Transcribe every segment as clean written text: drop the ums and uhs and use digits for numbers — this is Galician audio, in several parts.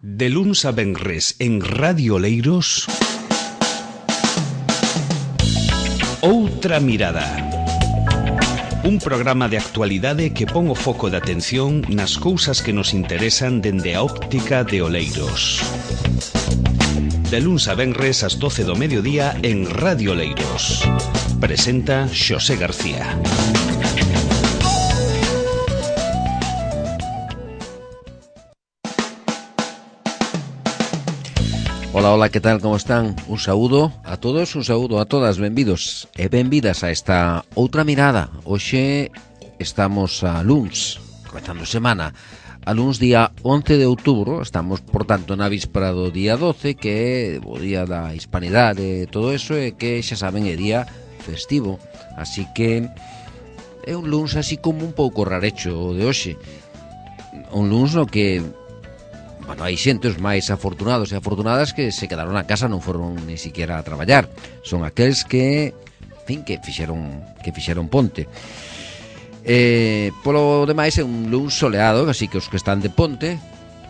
De luns a venres en Radio Oleiros, Outra Mirada. Un programa de actualidade que pon o foco de atención nas cousas que nos interesan dende a óptica de Oleiros. De luns a venres ás 12 do mediodía en Radio Oleiros. Presenta Xosé García. Hola, que tal, como están? Un saúdo a todos, un saúdo a todas, benvidos e benvidas a esta Outra Mirada. Hoxe estamos a luns, comezando semana, a luns día 11 de outubro, estamos, por tanto, na víspera do día 12, que é o día da hispanidade e todo eso, e que, xa saben, é día festivo, así que é un luns así como un pouco rarecho o de hoxe. Un luns no que hai xentes máis afortunados e afortunadas que se quedaron na casa, non foron ni siquiera a traballar. Son aqueles que, en fin, que fixeron ponte. Polo demais é un luns soleado, así que os que están de ponte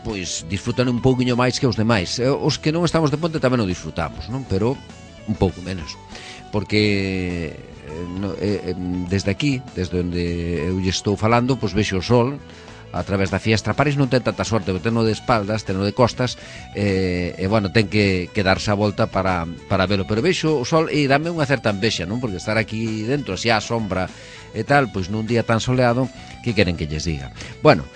pois disfrutan un pouquiño máis que os demais. Os que non estamos de ponte tamén o disfrutamos, non? Pero un pouco menos, porque desde aquí, desde onde eu lle estou falando, pois vexo o sol a través da fiestra. París non ten tanta sorte, ten de espaldas, ten de costas, e bueno, ten que darse a volta para velo, pero vexo o sol e dame unha certa envexa, non? Porque estar aquí dentro, así a sombra e tal, pois nun día tan soleado, que queren que lles diga? Bueno,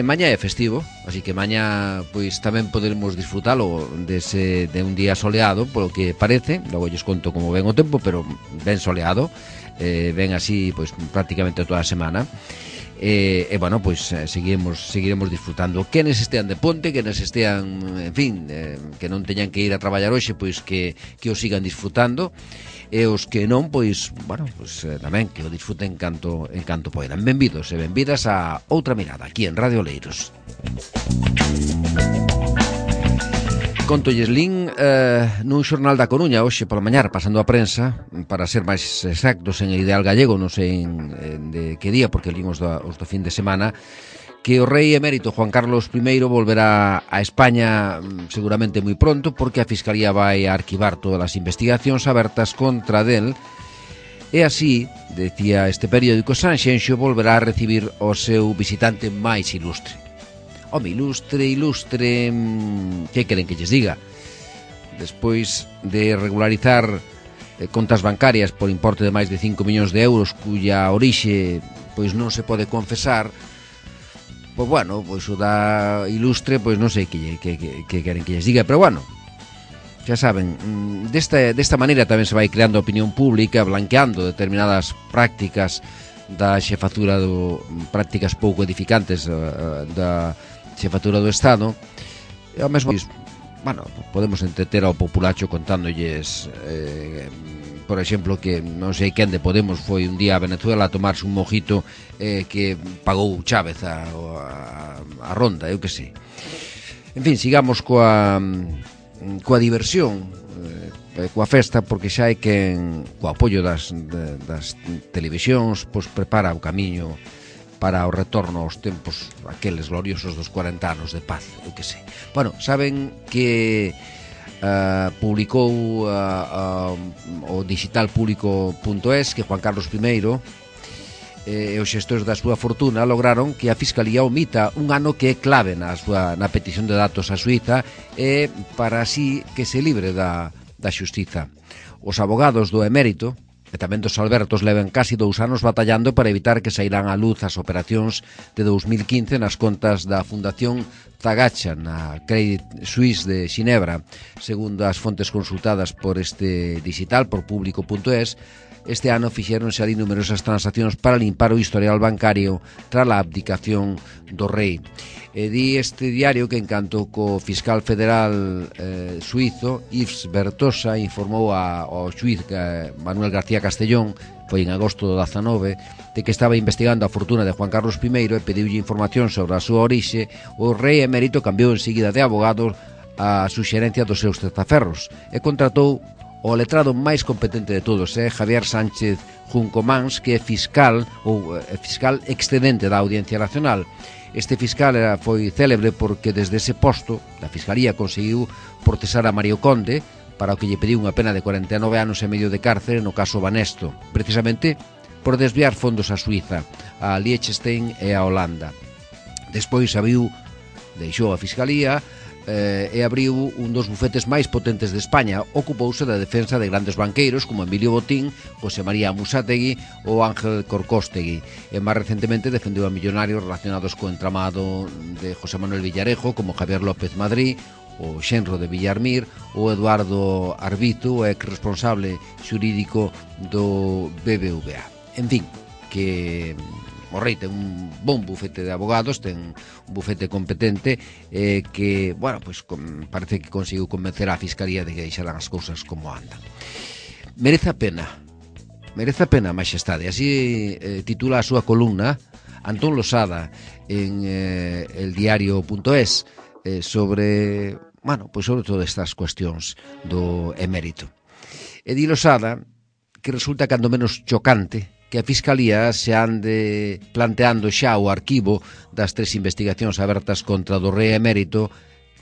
mañá é festivo, así que mañá pois tamén poderemos disfrutalo de un día soleado, polo que parece. Logo lles conto como ven o tempo, pero ben soleado, ven así pois prácticamente toda a semana. Bueno, pois seguiremos disfrutando. Quenes estean de ponte, quenes estean, en fin, que non teñan que ir a traballar hoxe, pois que o sigan disfrutando, e os que non, pois, bueno, pois tamén que o disfruten en canto poidan. Benvidos e benvidas a Outra Mirada, aquí en Radio Oleiros. Contolles lin nun xornal da Coruña hoxe pola mañá, pasando a prensa, para ser máis exactos, en el Ideal Gallego, non sei de que día, porque lin os do fin de semana, que o rei emérito Juan Carlos I volverá a España seguramente moi pronto, porque a Fiscalía vai a arquivar todas as investigacións abertas contra del, e así, decía este periódico, Sanxenxo volverá a recibir o seu visitante máis ilustre. Home, ilustre, que queren que lles diga? Despois de regularizar contas bancarias por importe de máis de 5 millóns de euros, cuya orixe pois non se pode confesar, pois bueno, pois o da ilustre, pois non sei que queren que lles diga, pero bueno, xa saben, desta maneira tamén se vai creando opinión pública, blanqueando determinadas prácticas da xefatura prácticas pouco edificantes da xefatura do Estado, e ao mesmo, bueno, podemos entreter ao populacho contándolles, por exemplo, que non sei quen de Podemos foi un día a Venezuela a tomarse un mojito que pagou Chávez a ronda, eu que sei. En fin, sigamos coa diversión, coa festa, porque xa hai quen, co apoio das televisións, pois prepara o camiño para o retorno aos tempos aqueles gloriosos dos 40 anos de paz, eu que sei. Bueno, saben que publicou o digitalpublico.es que Juan Carlos I e os xestores da súa fortuna lograron que a Fiscalía omita un ano que é clave na petición de datos a Suiza, e para así que se libre da xustiza. Os abogados do emérito e tamén dos Albertos levan casi 2 anos batallando para evitar que sairán á luz as operacións de 2015 nas contas da Fundación Zagacha na Credit Suisse de Xinebra. Segundo as fontes consultadas por este digital, por público.es, este ano fixéronse ali numerosas transaccións para limpar o historial bancario tras a abdicación do rei. E di este diario que, en canto co fiscal federal suizo Yves Bertosa informou ao xuiz Manuel García Castellón, foi en agosto do 19, de que estaba investigando a fortuna de Juan Carlos I e pediulle información sobre a súa orixe, o rei emérito cambiou enseguida de abogado a suxerencia dos seus testaferros e contratou o letrado máis competente de todos, Javier Sánchez Juncomans, que é fiscal excedente da Audiencia Nacional, Este fiscal foi célebre porque desde ese posto da Fiscalía conseguiu procesar a Mario Conde para o que lle pediu unha pena de 49 anos e medio de cárcere no caso Banesto, precisamente por desviar fondos a Suiza, a Liechtenstein e a Holanda. Despois deixou a Fiscalía e abriu un dos bufetes máis potentes de España. Ocupouse da defensa de grandes banqueiros como Emilio Botín, José María Musátegui ou Ángel Corcóstegui, e máis recentemente defendeu a millonarios relacionados co entramado de José Manuel Villarejo como Javier López Madrid, o xenro de Villarmir, ou Eduardo Arbizu, ex responsable xurídico do BBVA. En fin, que o rei ten un bon bufete de abogados, ten un bufete competente que, bueno, pues parece que conseguiu convencer a Fiscalía de que deixaran as cousas como andan. Merece a pena, Maxestade. Así titula a súa columna Antón Losada en eldiario.es sobre, bueno, pues sobre todas estas cuestións do emérito. E di Losada que resulta cando menos chocante que a Fiscalía se ande planteando xa o arquivo das 3 investigacións abertas contra do rei emérito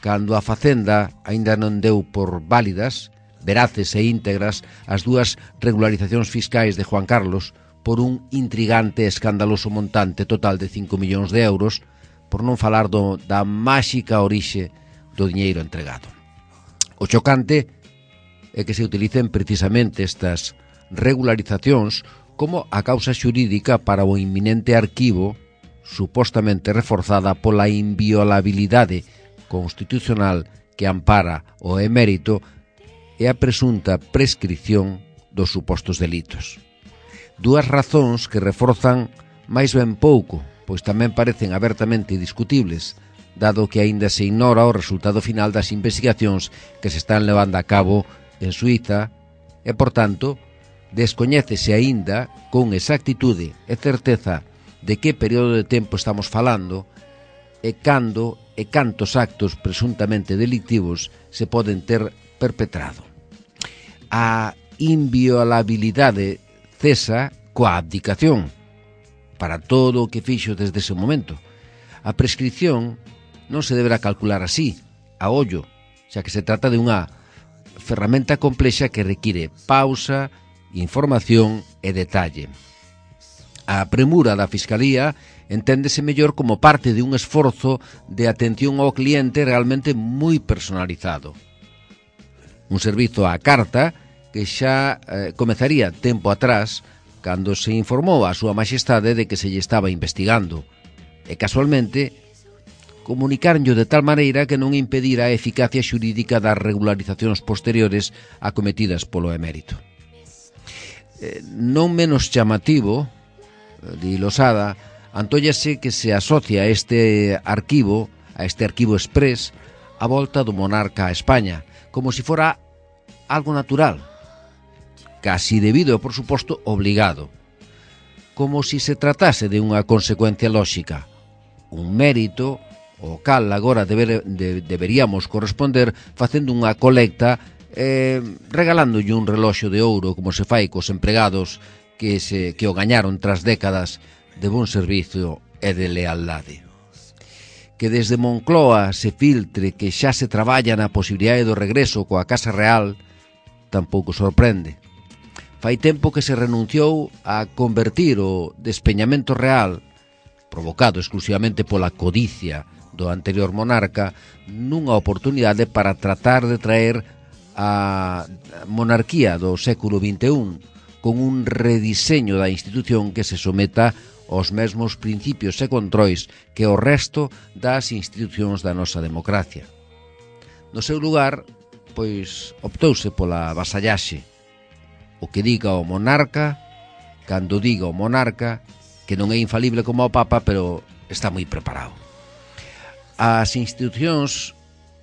cando a Facenda aínda non deu por válidas, veraces e íntegras as 2 regularizacións fiscais de Juan Carlos por un intrigante e escandaloso montante total de 5 millóns de euros, por non falar da máxica orixe do diñeiro entregado. O chocante é que se utilicen precisamente estas regularizacións como a causa xurídica para o inminente arquivo supostamente reforzada pola inviolabilidade constitucional que ampara o emérito e a presunta prescripción dos supostos delitos. 2 razóns que reforzan máis ben pouco, pois tamén parecen abertamente discutibles, dado que aínda se ignora o resultado final das investigacións que se están levando a cabo en Suiza e, por tanto, descoñécese aínda con exactitude e certeza de que período de tempo estamos falando e cando e cantos actos presuntamente delictivos se poden ter perpetrado. A inviolabilidade cesa coa abdicación para todo o que fixo desde ese momento. A prescripción non se deberá calcular así, a ollo, xa que se trata de unha ferramenta complexa que require pausa, información e detalle. A premura da Fiscalía enténdese mellor como parte de un esforzo de atención ao cliente realmente moi personalizado. Un servizo á carta que xa comezaría tempo atrás cando se informou a súa Maxestade de que se lle estaba investigando e casualmente comunicaronllo de tal maneira que non impedira a eficacia xurídica das regularizacións posteriores acometidas polo emérito. Non menos chamativo, di Losada, antóllase que se asocia a este arquivo express a volta do monarca a España, como si fora algo natural, casi debido e, por suposto, obligado, como si se tratase de unha consecuencia lóxica, un mérito ao cal agora deberíamos corresponder facendo unha colecta regalándolle un reloxo de ouro como se fai cos empregados que o gañaron tras décadas de bon servizo e de lealdade. Que desde Moncloa se filtre que xa se traballa na posibilidade do regreso coa Casa Real tampouco sorprende. Fai tempo que se renunciou a convertir o despeñamento real, provocado exclusivamente pola codicia do anterior monarca, nunha oportunidade para tratar de traer a monarquía do século XXI con un rediseño da institución que se someta aos mesmos principios e controis que o resto das institucións da nosa democracia. No seu lugar, pois, optouse pola vasallaxe. O que diga o monarca, cando diga o monarca, que non é infalible como o Papa, pero está moi preparado. As institucións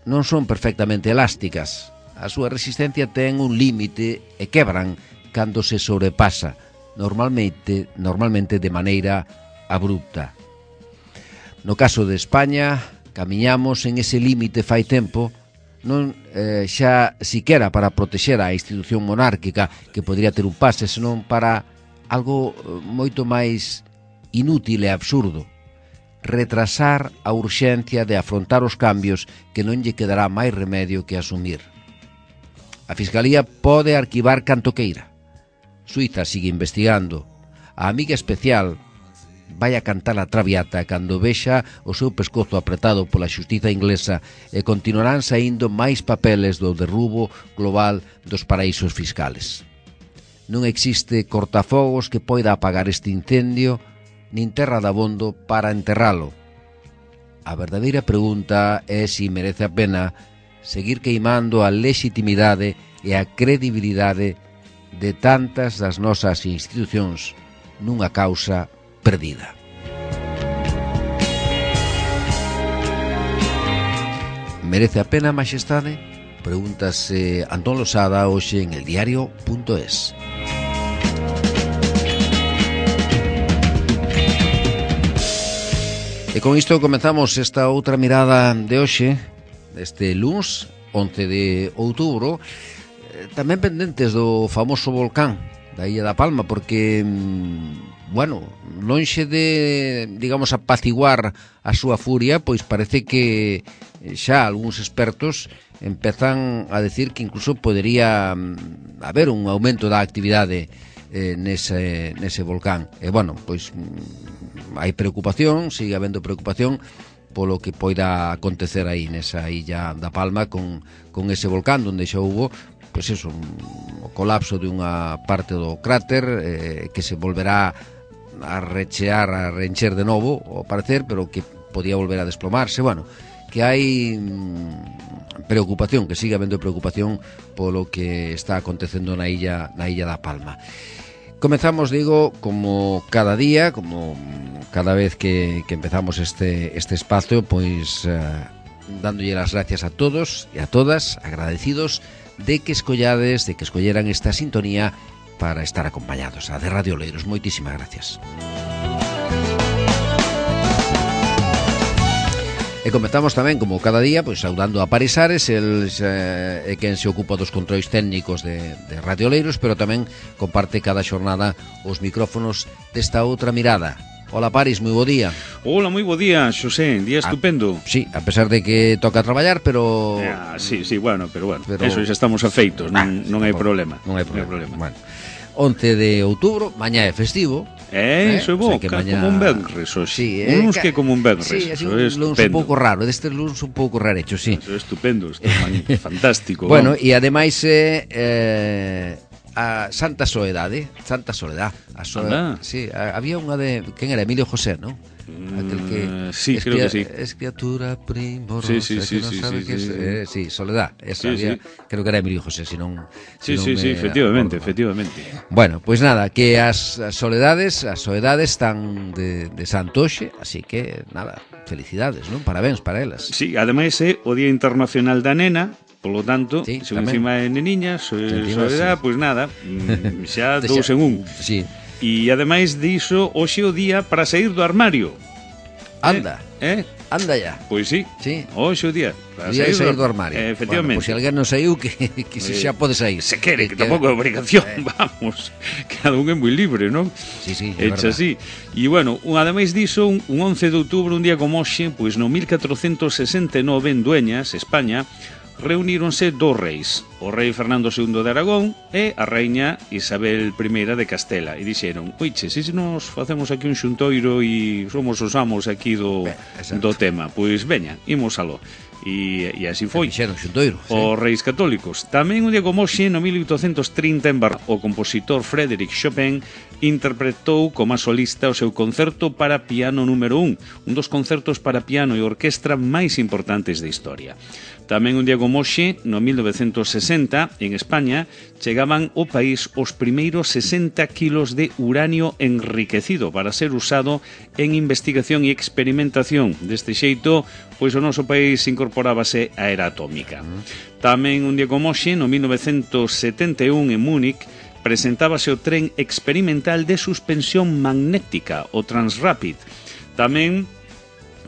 non son perfectamente elásticas. A súa resistencia ten un límite e quebran cando se sobrepasa, normalmente de maneira abrupta. No caso de España, camiñamos en ese límite fai tempo, non xa siquera para protexer a institución monárquica que podría ter un pase, senón para algo moito máis inútil e absurdo, retrasar a urxencia de afrontar os cambios que non lle quedará máis remedio que asumir. A Fiscalía pode arquivar canto queira. Suiza sigue investigando. A amiga especial vai a cantar a traviata cando vexa o seu pescozo apretado pola xustiza inglesa e continuarán saindo máis papeles do derrubo global dos paraísos fiscales. Non existe cortafogos que poida apagar este incendio nin terra dabondo para enterralo. A verdadeira pregunta é se merece a pena seguir queimando a legitimidade e a credibilidade de tantas das nosas institucións nunha causa perdida. Merece a pena, Maxestade? Pregúntase Antón Losada hoxe en eldiario.es. E con isto comenzamos esta outra mirada de hoxe, este luns, 11 de outubro, tamén pendentes do famoso volcán da Illa da Palma, porque, bueno, lonxe de, digamos, apaciguar a súa furia, pois parece que xa algúns expertos empezan a decir que incluso podería haber un aumento da actividade nese volcán. E, bueno, pois hai preocupación, sigue habendo preocupación polo que poida acontecer aí nesa Illa da Palma con ese volcán onde xa hubo pois eso, o colapso de unha parte do cráter que se volverá a rechear, a reencher de novo ao parecer, pero que podía volver a desplomarse. Bueno, que hai preocupación, que sigue habendo preocupación polo que está acontecendo na Illa da Palma. Comezamos, digo, como cada día, como cada vez que empezamos este espacio, pois dándolle as gracias a todos e a todas, agradecidos de que escolleran esta sintonía para estar acompañados. A de Radio Oleiros, moitísimas gracias. E comenzamos tamén, como cada día, pois saudando a Paris Ares, el é quen se ocupa dos controis técnicos de Radio Oleiros, pero tamén comparte cada xornada os micrófonos desta outra mirada. Hola Paris, moi bo día. Hola, moi bo día, Xosé, día estupendo. Sí, a pesar de que toca traballar, pero... Sí, bueno, pero eso xa estamos afeitos, non hai problema. Non hai problema. Bueno, 11 de outubro, mañá é festivo. Iso é bo, mañá... como un venres, sí, uns que como un venres. Sí, así un luns un pouco raro, destes luns un pouco rarecho, sí. Eso é estupendo, fantástico. Bueno, e ademais a Santa Soledad, sí, había unha de... Quen era? Emilio José, non? Aquel que sí, creo que sí. Es criatura primorosa, sí, Soledad, esa sí, creo que era Emilio José, senón Sí, efectivamente. Bueno, pois nada, que as soledades están de Santoxe, así que nada, felicidades, non? Parabéns para elas. Sí, ademais é o Día Internacional da Nena. Polo tanto, sí, se encima de neniña, soledad, pois nada, xa dous en un. Sí. E ademais diso, hoxe o día para sair do armario. Anda. Anda ya. Pois sí. Hoxe o día para sair do armario. Efectivamente. Bueno, se alguén non saiu, que xa pode sair. Se quere, que tampouco é obrigación, vamos. Cada un é moi libre, non? Sí, é verdade. Así. E, bueno, ademais diso, un 11 de outubro, un día como hoxe, pois no 1469, en Dueñas, España, reuníronse dous reis, o rei Fernando II de Aragón e a reiña Isabel I de Castela, e dixeron: oiche, se nos facemos aquí un xuntoiro e somos os amos aquí do tema, pois veña, imos aló. E así foi. Os reis católicos. Tamén un día como hoxe, no 1830, en Barcelona, o compositor Frédéric Chopin interpretou como solista o seu concerto para piano número 1, un dos concertos para piano e orquestra máis importantes da historia. Tamén un día como hoxe, no 1960, en España, chegaban ao país os primeiros 60 kilos de uranio enriquecido para ser usado en investigación e experimentación. Deste xeito, pois o noso país incorporábase a era atómica. Tamén un día como hoxe, no 1971, en Múnich, presentábase o tren experimental de suspensión magnética, o Transrapid. Tamén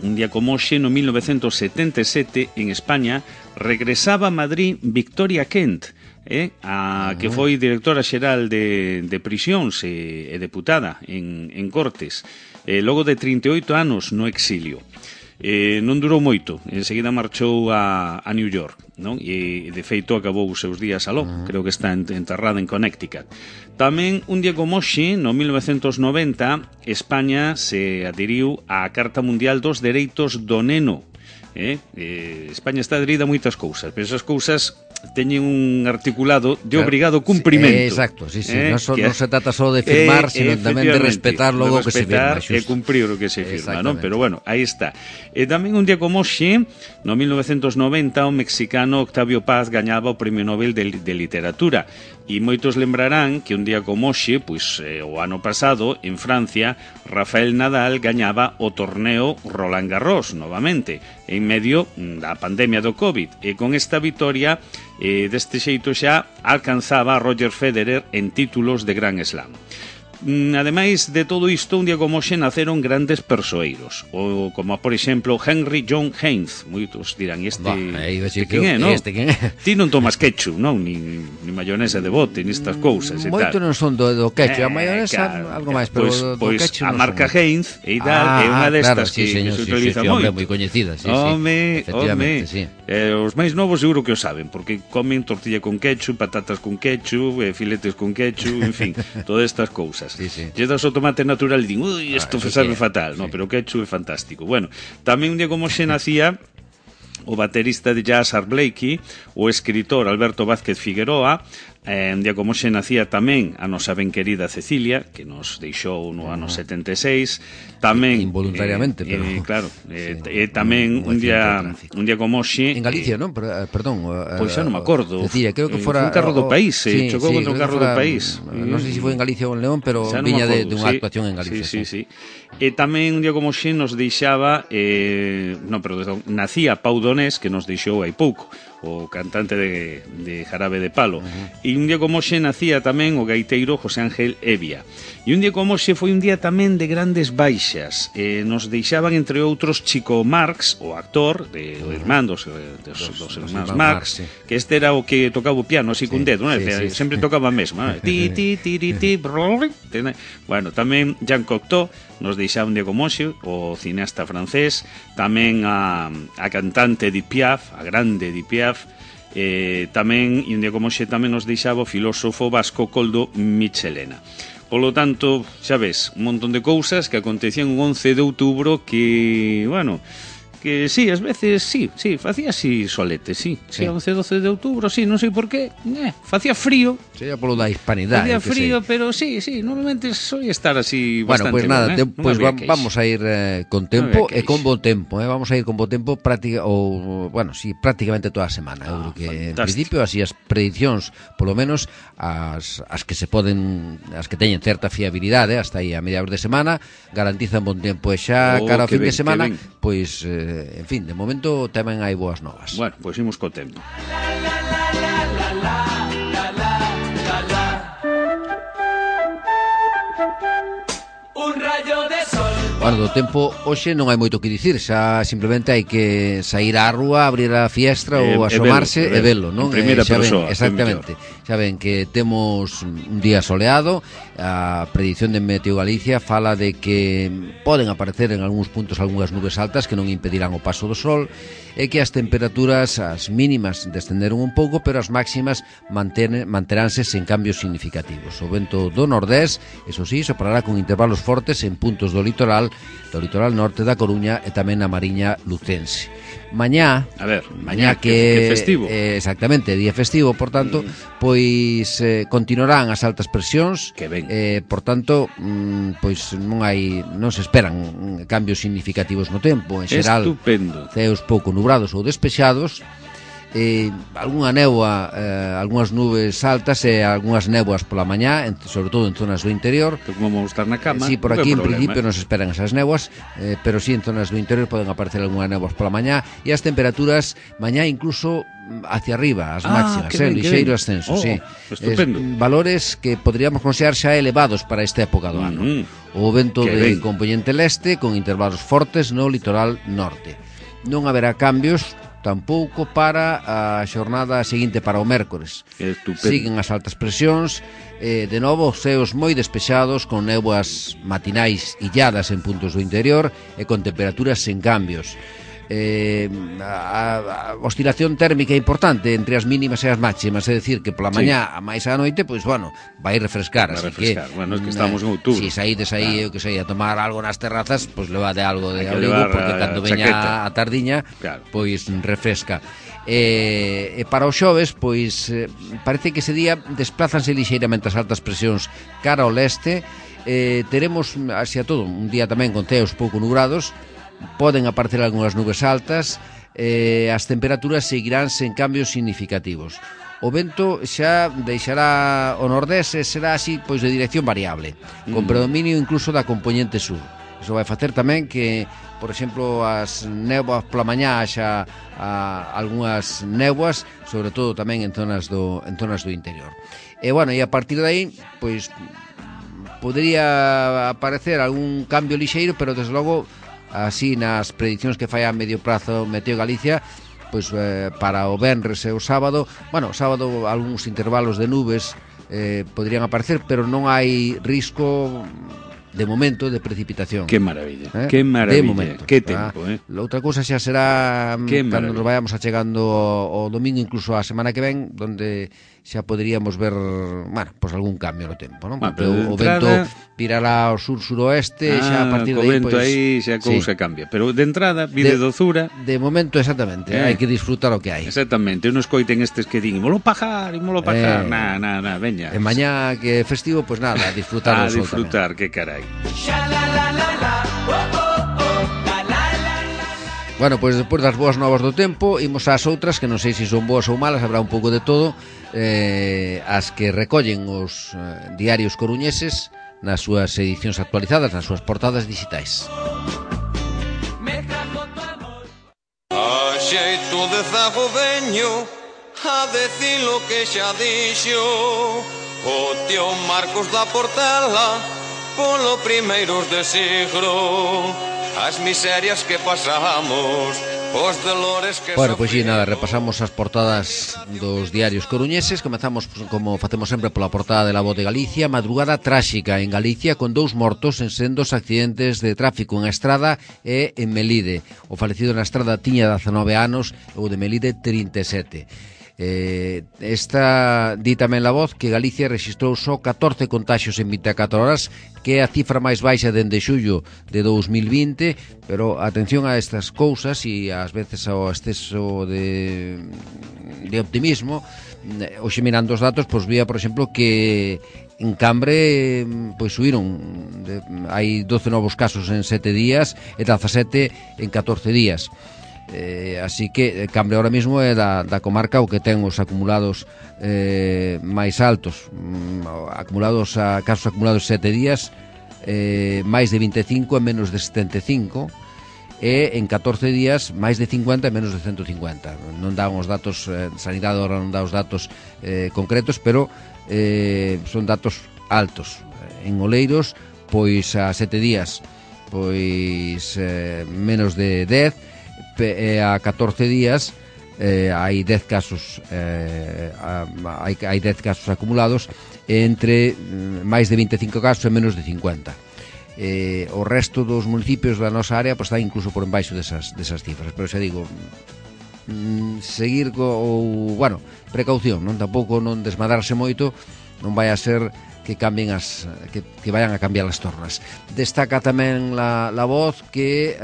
un día como hoxe, no 1977, en España, regresaba a Madrid Victoria Kent, que foi directora xeral de prisións e deputada en Cortes, logo de 38 anos no exilio. Non durou moito, enseguida marchou a New York, non? E de feito acabou os seus días aló, creo que está enterrada en Connecticut. Tamén un día como hoxe, no 1990, España se adheriu á Carta Mundial dos Dereitos do Neno. España está adherida a moitas cousas, pero esas cousas teñen un articulado de obrigado cumprimento. Exacto, sí. Non se trata só de firmar, sino tamén de respetar logo que se firma. E cumprir o que se firma, non? Pero bueno, aí está. E tamén un día como hoxe, no 1990, o mexicano Octavio Paz gañaba o Premio Nobel de Literatura. E moitos lembrarán que un día como hoxe, pois o ano pasado, en Francia, Rafael Nadal gañaba o torneo Roland Garros novamente, en medio da pandemia do COVID. E con esta vitoria, deste xeito xa alcanzaba a Roger Federer en títulos de Grand Slam. Ademais de todo isto, un día como hoxe naceron grandes persoeiros, o como por exemplo Henry John Heinz. Moitos dirán, quen é, non? Ti non tomas ketchup, non? Ni mayonesa de bote, ni estas cousas e tal. Moito non son do ketchup, a mayonesa algo máis, pero do ketchup a marca Heinz e tal, é unha destas que se utiliza moito. Moi coñecida, efectivamente, sí. Os máis novos seguro que o saben, porque comen tortilla con ketchup, patatas con ketchup, filetes con ketchup, en fin, todas estas cousas. Lle das o tomate natural e din, ui, isto sabe fatal, no, pero o ketchup é fantástico. Bueno, tamén un día como xe nacía o baterista de jazz Art Blakey, o escritor Alberto Vázquez Figueroa. Un día como xe nacía tamén a nosa ben querida Cecilia, que nos deixou no ano 76. Tamén involuntariamente, pero claro, tamén un día como xe en Galicia, non? Perdón, pois xa non me acordo. Decía, creo que fora un carro do país, chocou contra un carro do país. Non sei se foi en Galicia ou en León, pero viña de unha actuación en Galicia. Sí. E tamén un día como xe nos deixaba nacía Pau Donés, que nos deixou hai pouco, o cantante de Jarabe de Palo. E un día como xe nacía tamén o gaiteiro José Ángel Evia. E un día como xe foi un día tamén de grandes baixas. Nos deixaban, entre outros, Chico Marx, o actor de irmán dos irmáns Marx, que este era o que tocaba o piano así cun dedo, sempre tocaba a mesma. Bueno, tamén Jean Cocteau nos deixaba un día como xe, o cineasta francés, tamén a cantante Edith Piaf, a grande Edith Piaf, tamén, e un día como xe tamén nos deixaba o filósofo vasco Koldo Michelena. Polo tanto, xa ves, un montón de cousas que acontecían un 11 de outubro que, bueno, que sí, ás veces sí, facía así solete, sí, 11-12 de outubro, sí, non sei por qué, facía frío. Sería polo da hispanidade. Facía frío, pero sí, normalmente soy estar así bastante. Bueno, pues nada, pues vamos a ir con tempo e con bo tempo, vamos a ir con bo tempo prácticamente toda a semana. Eu creo que en principio así as predicións, polo menos as que se poden, as que teñen certa fiabilidade hasta aí a mediados de semana, garantizan bon tempo e xa cara ao fin de semana, pois en fin, de momento tamén hai boas novas. Bueno, pois imos co tempo. Un rayo de sol. Bueno, do tempo hoxe non hai moito que dicir, xa simplemente hai que sair á rúa, abrir a fiestra ou asomarse e velo, non? En primeira persoa. Exactamente. Xa ven que temos un día soleado, a predición de Meteo Galicia fala de que poden aparecer en algúns puntos algunhas nubes altas que non impedirán o paso do sol e que as temperaturas, as mínimas descenderon un pouco, pero as máximas manteránse sen cambios significativos. O vento do nordés, eso sí, soprará con intervalos fortes en puntos do litoral norte da Coruña e tamén na Mariña lucense. Mañá que festivo. Exactamente, día festivo, por tanto, pois continuarán as altas presións, que ben. Por tanto, pois non se esperan cambios significativos no tempo, en xeral, estupendo. Ceos pouco nubrados ou despexados, algunha néboa, algunhas nubes altas e algunhas néboas pola mañá, sobre todo en zonas do interior. Como vamos estar na cama. Sí, por aquí en principio non se esperan esas néboas, pero sí en zonas do interior poden aparecer algunhas néboas pola mañá e as temperaturas mañá incluso hacia arriba, as máximas, lixeiro ascenso, sí. Estupendo. Valores que podríamos considerar xa elevados para esta época do ano. O vento de componente leste con intervalos fortes no litoral norte. Non haberá cambios tampouco para a xornada seguinte, para o mércores. Siguen as altas presións, de novo ceos moi despexados, con néboas matinais illadas en puntos do interior e con temperaturas sen cambios. A oscilación térmica importante entre as mínimas e as máximas, é dicir, que pola mañá a máis á noite, pois, bueno, vai refrescar, así que... Bueno, es que estamos en outubro. Si saídes aí, eu que sei, a tomar algo nas terrazas, pois levade algo de abrigo, porque cando veña a tardiña, pois refresca. E para os xoves, pois, parece que ese día desplázanse lixeiramente as altas presións cara ao leste. Teremos, así a todo, un día tamén con ceos pouco nubrados. Poden aparecer algunhas nubes altas, as temperaturas seguirán sen cambios significativos. O vento xa deixará o nordés e será así, pois, de dirección variable, con predominio incluso da componente sur. Iso vai facer tamén que, por exemplo, as néboas pola mañá xa algunhas néboas, sobre todo tamén en zonas do interior. E, bueno, e a partir de aí, pois, podería aparecer algún cambio lixeiro, pero, desde logo, así nas predicións que fai a medio prazo Meteo Galicia, pois para o venres e o sábado, bueno, o sábado algúns intervalos de nubes poderían aparecer, pero non hai risco de momento de precipitación. Que maravilla, que maravilla, de momento, que tempo, Outra cousa xa será cando nos vayamos achegando o domingo, incluso a semana que ven, donde xa poderíamos ver, bueno, pois algún cambio no tempo, non? Porque o vento virará ao sur-suroeste, xa a partir de aí, vento aí xa a cousa cambia, pero de entrada, vide dozura. De momento, exactamente, hai que disfrutar o que hai. Exactamente, non escoiten estes que din, imolo pajar, na, veña. E mañá que é festivo, pois nada, a disfrutar o sol tamén. A disfrutar, que carai. Bueno, pois despois das boas novas do tempo, imos ás outras, que non sei se son boas ou malas, habrá un pouco de todo, as que recollen os diarios coruñeses nas súas edicións actualizadas, nas súas portadas digitais. A xeito de zago veño a decir lo que xa dixo o tío Marcos da Portela polo primeiros de siglo, as miserias que pasamos, os dolores que... Bueno, pois nada, repasamos as portadas dos diarios coruñeses. Comezamos, como facemos sempre, pola portada de La Voz de Galicia. Madrugada tráxica en Galicia con 2 mortos en sendos accidentes de tráfico en Estrada e en Melide. O falecido na Estrada tiña 19 anos e o de Melide 37. Esta di tamén La Voz que Galicia rexistrou só 14 contaxios en 24 horas, que é a cifra máis baixa dende xullo de 2020, pero atención a estas cousas e ás veces ao exceso de optimismo. Hoxe, mirando os datos, pois vía, por exemplo, que en Cambre pois subiron, hai 12 novos casos en 7 días e 17 en 14 días. Así que Cambre ahora mismo é da comarca o que ten os acumulados máis altos, casos acumulados 7 días, máis de 25 e menos de 75, e en 14 días máis de 50 e menos de 150. Non dan os datos, Sanidade ahora non dá os datos concretos, pero son datos altos. En Oleiros, pois a 7 días pois menos de 10, a 14 días hai 10 casos hai 10 casos acumulados, entre máis de 25 casos e menos de 50. O resto dos municipios da nosa área pois está incluso por embaixo desas cifras, pero xa digo, seguir precaución, non, tampouco non desmadrarse moito, non vai a ser que cambien que vayan a cambiar as tornas. Destaca tamén la Voz que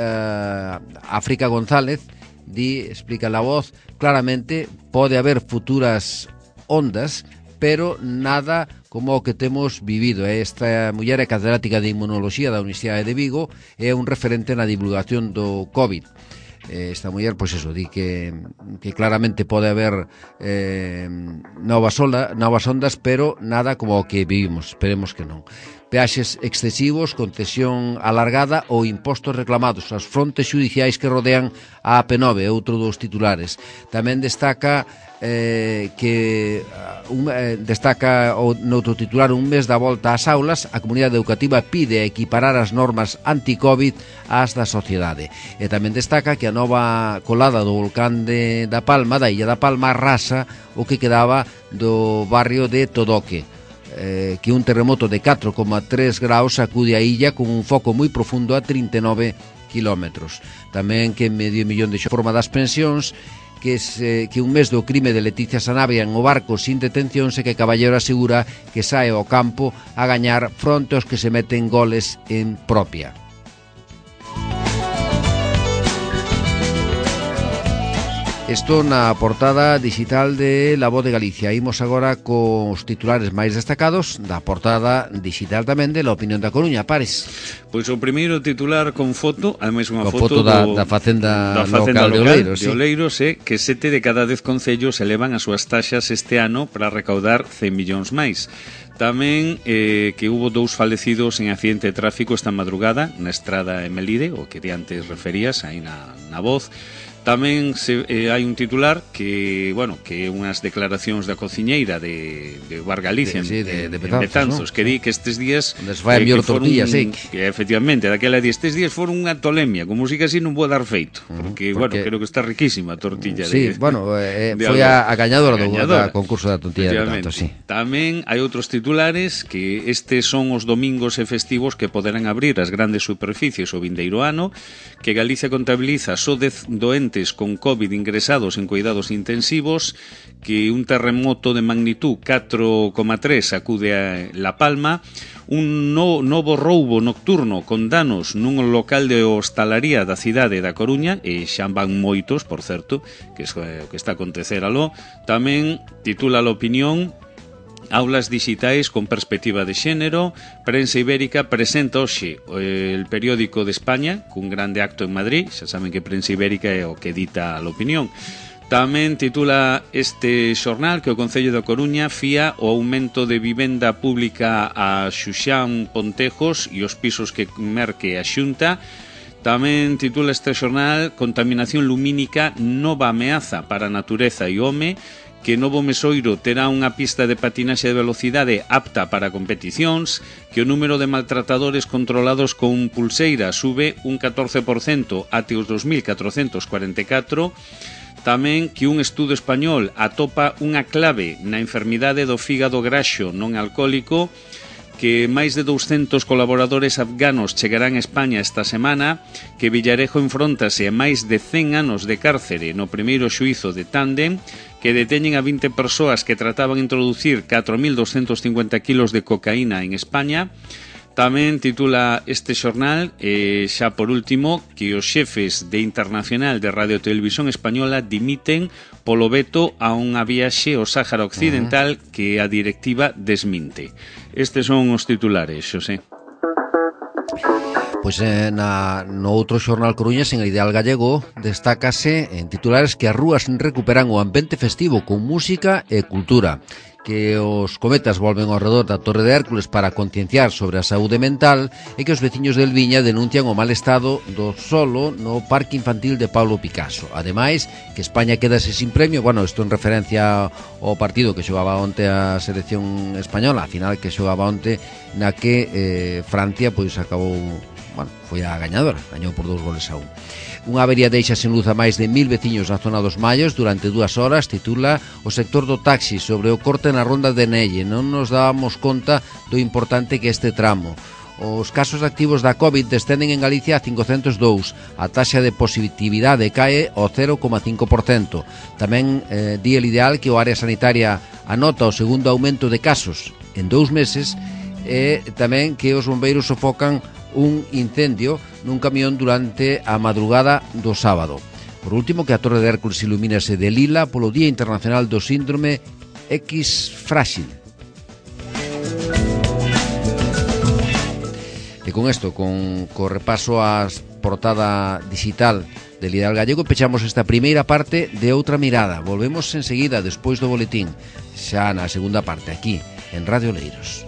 África González explica La Voz claramente, pode haber futuras ondas, pero nada como o que temos vivido. Esta muller é catedrática de Inmunoloxía da Universidade de Vigo, é un referente na divulgación do COVID. Esta muller, pois eso, di que claramente pode haber novas ondas, pero nada como o que vivimos, esperemos que non. peaxes excesivos, concesión alargada ou impostos reclamados, as frontes xudiciais que rodean a AP9, outro dos titulares. Tamén destaca destaca noutro titular un mes da volta ás aulas, a comunidade educativa pide equiparar as normas anti-Covid ás da sociedade. E tamén destaca que a nova colada do volcán da Palma, da illa da Palma, arrasa o que quedaba do barrio de Todoque, que un terremoto de 4,3 graus sacude a illa con un foco moi profundo a 39 kilómetros. Tamén que medio millón de forma das pensións, que un mes do crime de Leticia Sanabria en o barco sin detención, e que Caballero asegura que sae ao campo a gañar fronte aos que se meten goles en propia. Isto na portada digital de La Voz de Galicia. Imos agora cos titulares máis destacados da portada digital tamén de La Opinión da Coruña. Pares. Pois o primeiro titular con foto, ademais unha foto da facenda local de Oleiros, que 7 de cada 10 concellos elevan as súas taxas este ano para recaudar 100 millóns máis. Tamén que hubo 2 falecidos en accidente de tráfico esta madrugada na estrada en Melide, o que antes referías aí na voz. Tamén hai un titular que, bueno, que unhas declaracións da cociñeira de Bar Galicia de Betanzos, ¿no? Que di que estes días vai a mellor tortilla, sí. Que efectivamente, daquela di, estes días foron unha tolemia, con música así non vou dar feito, porque bueno, creo que está riquísima a tortilla. Sí, bueno, foi a gañadora do concurso da tortilla de Betanzos, sí. Tamén hai outros titulares que estes son os domingos e festivos que poderán abrir as grandes superficies o vindeiro ano, que Galicia contabiliza só 10 doentes con COVID ingresados en cuidados intensivos, que un terremoto de magnitud 4,3 sacude a La Palma, un novo roubo nocturno con danos nun local de hostalaría da cidade da Coruña, e xa van moitos, por certo, que é o que está a acontecer aló. Tamén titula La Opinión: aulas digitais con perspectiva de xénero. Prensa Ibérica presenta hoxe el periódico de España cun grande acto en Madrid. Xa saben que Prensa Ibérica é o que edita a Opinión. Tamén titula este xornal que o Concello da Coruña fía o aumento de vivenda pública a Xuxán Pontejos e os pisos que merque a Xunta. Tamén titula este xornal: contaminación lumínica, nova ameaza para a natureza e home, que Novo Mesoiro terá unha pista de patinaxe de velocidade apta para competicións, que o número de maltratadores controlados con pulseira sube un 14% até os 2.444, tamén que un estudo español atopa unha clave na enfermidade do fígado graxo non alcohólico, que máis de 200 colaboradores afganos chegarán a España esta semana, que Villarejo enfróntase a máis de 100 anos de cárcere no primeiro xuízo de Tándem, que deteñen a 20 persoas que trataban de introducir 4.250 kilos de cocaína en España. Tamén titula este xornal, xa por último, que os xefes de Internacional de Radio Televisión Española dimiten polo veto a unha viaxe ao Sáhara Occidental que a directiva desminte. Estes son os titulares, Xosé. Pois no outro xornal coruñés, en Ideal Gallego, destácase en titulares que as rúas recuperan o ambiente festivo con música e cultura, que os cometas volven ao redor da Torre de Hércules para concienciar sobre a saúde mental, e que os veciños del Viña denuncian o mal estado do solo no Parque Infantil de Pablo Picasso. Ademais, que España quedase sin premio, bueno, isto en referencia ao partido que xogaba onte a selección española, a final que xogaba onte, na que Francia pois acabou, bueno, foi a gañadora, gañou por 2-1. Unha avería deixa sen luz a máis de 1000 veciños na zona dos Mallos durante 2 horas, titula o sector do taxi sobre o corte na ronda de Nelle. Non nos dábamos conta do importante que este tramo. Os casos activos da COVID descenden en Galicia a 502. A taxa de positividade cae ao 0,5%. Tamén di el Ideal que o área sanitaria anota o segundo aumento de casos en 2 meses, e tamén que os bombeiros sofocan un incendio nun camión durante a madrugada do sábado. Por último, que a Torre de Hércules ilumínase de lila polo Día Internacional do Síndrome X Frágil. E con isto, con repaso ás portada digital del Ideal Gallego, pechamos esta primeira parte de Outra Mirada. Volvemos enseguida, despois do boletín, xa na segunda parte, aquí, en Radio Oleiros.